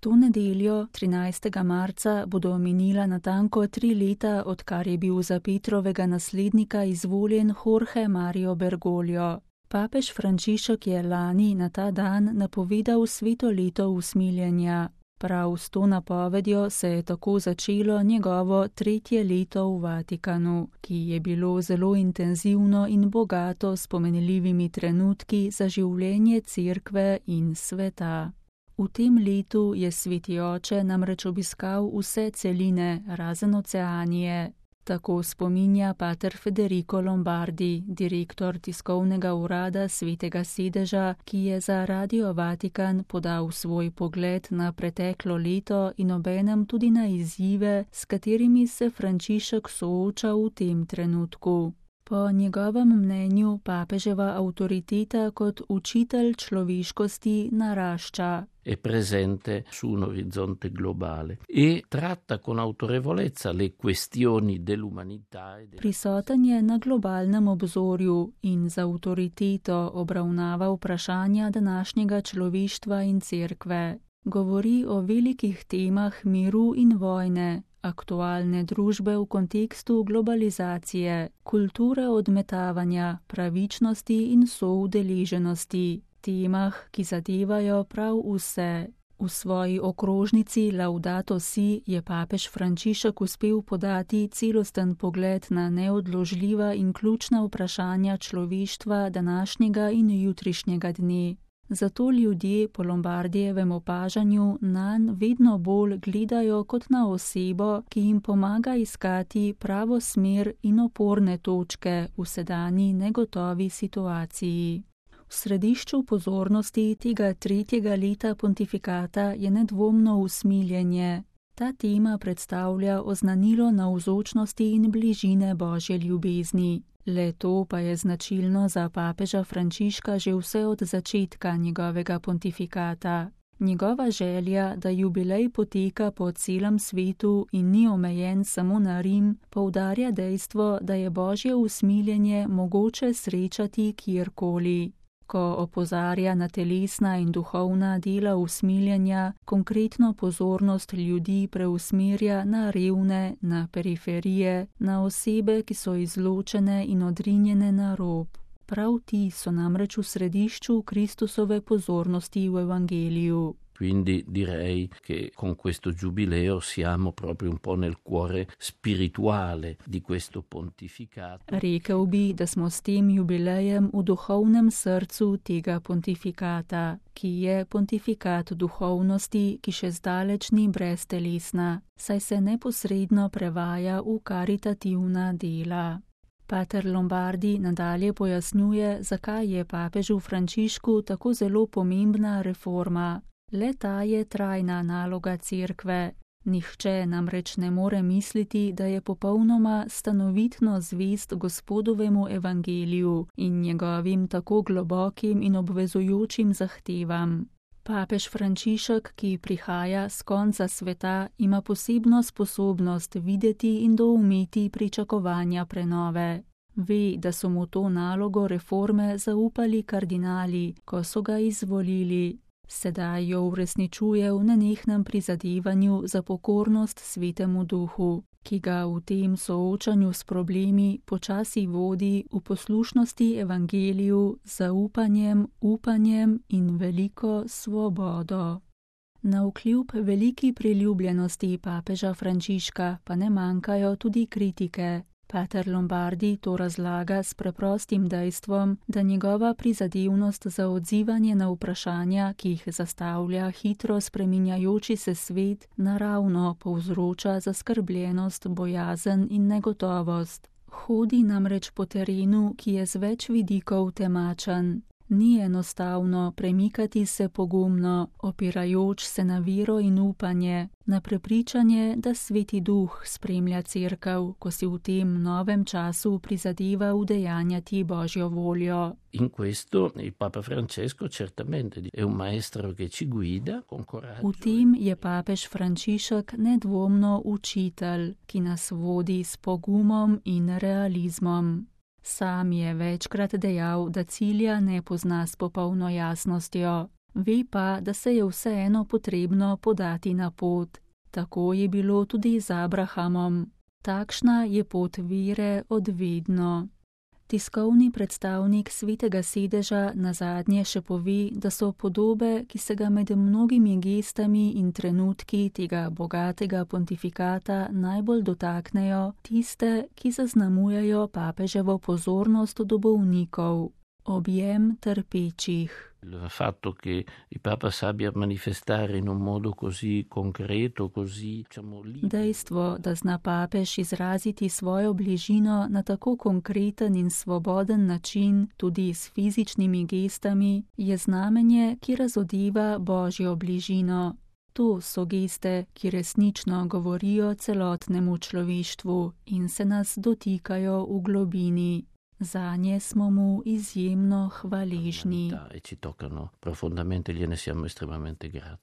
To nedeljo, 13. marca, bodo minila natanko 3 leta, odkar je bil za Petrovega naslednika izvoljen Jorge Mario Bergoglio. Papež Frančišek je lani na ta dan napovedal sveto leto usmiljenja. Prav s to napovedjo se je tako začelo njegovo 3. leto v Vatikanu, ki je bilo zelo intenzivno in bogato s pomenljivimi trenutki za življenje Cerkve in sveta. V tem letu je sveti oče namreč obiskal vse celine, razen Oceanije. Tako spominja pater Federico Lombardi, direktor tiskovnega urada Svetega sedeža, ki je za Radio Vatikan podal svoj pogled na preteklo leto in obenem tudi na izzive, s katerimi se Frančišek sooča v tem trenutku. Po njegovem mnenju papeževa avtoriteta kot učitelj človeškosti narašča. È presente su un orizzonte globale e tratta con autorevolezza le questioni dell'umanità. Prisoten je na globalnem obzorju in z avtoriteto obravnava vprašanja današnjega človeštva in cerkve. Govori o velikih temah miru in vojne, aktualne družbe v kontekstu globalizacije, kulture odmetavanja, pravičnosti in soudeleženosti. Temah, ki zadevajo prav vse. V svoji okrožnici Laudato Si je papež Frančišek uspel podati celosten pogled na neodložljiva in ključna vprašanja človeštva današnjega in jutrišnjega dne. Zato ljudje po Lombardijevem opažanju nanj vedno bolj gledajo kot na osebo, ki jim pomaga iskati pravo smer in oporne točke v sedanji negotovi situaciji. V središču pozornosti tega 3. leta pontifikata je nedvomno usmiljenje. Ta tema predstavlja oznanilo navzočnosti in bližine Božje ljubezni. Le to pa je značilno za papeža Frančiška že vse od začetka njegovega pontifikata. Njegova želja, da jubilej poteka po celem svetu in ni omejen samo na Rim, poudarja dejstvo, da je Božje usmiljenje mogoče srečati kjerkoli. Ko opozarja na telesna in duhovna dela usmiljenja, konkretno pozornost ljudi preusmerja na revne, na periferije, na osebe, ki so izločene in odrinjene na rob. Prav ti so namreč v središču Kristusove pozornosti v Evangeliju. Quindi direi che con questo giubileo siamo proprio un po' nel cuore spirituale di questo pontificato. Rekel bi, da smo s tem jubilejem v duhovnem srcu tega pontifikata, ki je pontifikat duhovnosti, ki še zdaleč ni breztelesna, saj se neposredno prevaja v karitativna dela. Pater Lombardi nadalje pojasnjuje, zakaj je papežu Frančišku tako zelo pomembna reforma. Le ta je trajna naloga cerkve. Nihče namreč ne more misliti, da je popolnoma stanovitno zvest Gospodovemu evangeliju in njegovim tako globokim in obvezujočim zahtevam. Papež Frančišek, ki prihaja s konca sveta, ima posebno sposobnost videti in doumeti pričakovanja prenove. Ve, da so mu to nalogo reforme zaupali kardinali, ko so ga izvolili. Sedaj jo uresničuje v nenehnem prizadevanju za pokornost Svetemu Duhu, ki ga v tem soočanju s problemi počasi vodi v poslušnosti evangeliju z zaupanjem, upanjem in veliko svobodo. Navkljub veliki priljubljenosti papeža Frančiška pa ne manjkajo tudi kritike. Pater Lombardi to razlaga s preprostim dejstvom, da njegova prizadevnost za odzivanje na vprašanja, ki jih zastavlja hitro spreminjajoči se svet, naravno povzroča zaskrbljenost, bojazen in negotovost. Hodi namreč po terenu, ki je z več vidikov temačen. Ni enostavno premikati se pogumno, opirajoč se na vero in upanje, na prepričanje, da Sveti Duh spremlja cerkev, ko si v tem novem času prizadeva udejanjati Božjo voljo. In questo il Papa Francesco certamente è un maestro che ci guida con coraggio. V tem je papež Frančišek nedvomno učitelj, ki nas vodi s pogumom in realizmom. Sam je večkrat dejal, da cilja ne pozna s popolno jasnostjo. Ve pa, da se je vseeno potrebno podati na pot. Tako je bilo tudi z Abrahamom. Takšna je pot vere od vedno. Tiskovni predstavnik Svetega sedeža nazadnje še pove, da so podobe, ki se ga med mnogimi gestami in trenutki tega bogatega pontifikata najbolj dotaknejo, tiste, ki zaznamujejo papeževo pozornost do bolnikov, objem trpečih. Il fatto che il Papa sappia manifestare in un modo così concreto, così, libero. Dejstvo, da zna papež izraziti svojo bližino na tako konkreten in svoboden način, tudi s fizičnimi gestami, je znamenje, ki razodeva Božjo bližino. To so geste, ki resnično govorijo celotnemu človeštvu in se nas dotikajo v globini. Zanje smo mu izjemno hvaležni. E ci toccano profondamente, gliene siamo estremamente grati.